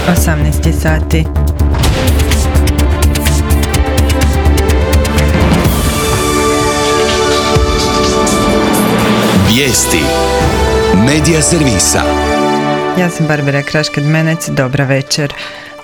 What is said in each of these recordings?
18 sati. Vijesti Medija servisa. Ja sam Barbara Krašked-Menec, dobra večer.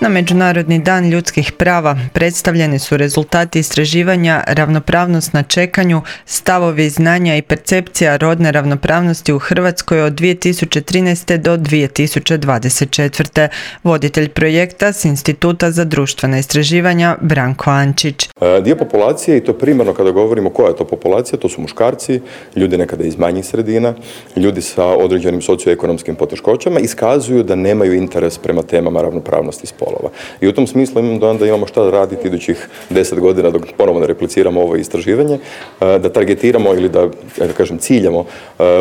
Na Međunarodni dan ljudskih prava predstavljeni su rezultati istraživanja Ravnopravnost na čekanju, stavovi, znanja i percepcija rodne ravnopravnosti u Hrvatskoj od 2013. do 2024. Voditelj projekta s Instituta za društvena istraživanja Branko Ančić. Dio populacije, i to primarno kada govorimo koja je to populacija, to su muškarci, ljudi nekada iz manjih sredina, ljudi sa određenim socioekonomskim poteškoćama, iskazuju da nemaju interes prema temama ravnopravnosti spola. I u tom smislu imam dojam da imamo šta raditi idućih 10 godina dok ponovo ne repliciramo ovo istraživanje, da targetiramo ili da kažem ciljamo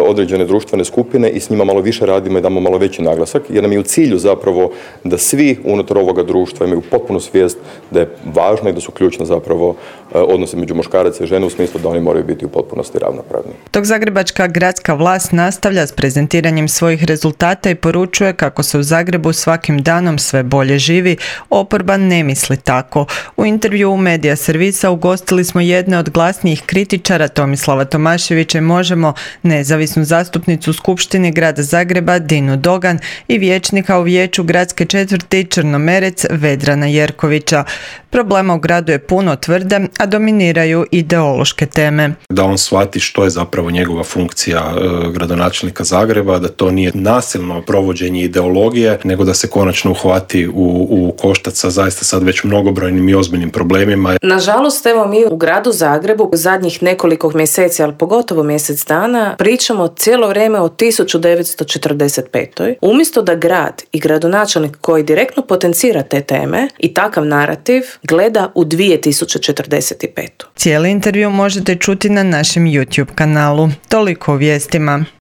određene društvene skupine i s njima malo više radimo i damo malo veći naglasak, jer nam je u cilju zapravo da svi unutar ovoga društva imaju potpunu svijest da je važno i da su ključne zapravo odnose među muškaraca i žene u smislu da oni moraju biti u potpunosti ravnopravni. Dok zagrebačka gradska vlast nastavlja s prezentiranjem svojih rezultata i poručuje kako se u Zagrebu svakim danom sve bolje živi, oporba ne misli tako. U intervju u Medija servisa ugostili smo jedne od glasnijih kritičara Tomislava Tomaševića i Možemo, nezavisnu zastupnicu u Skupštini grada Zagreba Dinu Dogan i vijećnika u vijeću gradske četvrti Črnomerec Vedrana Jerkovića. Problema u gradu je puno, tvrde, a dominiraju ideološke teme. Da on shvati što je zapravo njegova funkcija gradonačelnika Zagreba, da to nije nasilno provođenje ideologije, nego da se konačno uhvati u koštac sa zaista sad već mnogobrojnim i ozbiljnim problemima. Nažalost, evo mi u gradu Zagrebu zadnjih nekoliko mjeseci, ali pogotovo mjesec dana, pričamo cijelo vrijeme o 1945. Umjesto da grad i gradonačelnik koji direktno potencira te teme i takav narativ gleda u 2045. Cijeli intervju možete čuti na našem YouTube kanalu. Toliko o vijestima.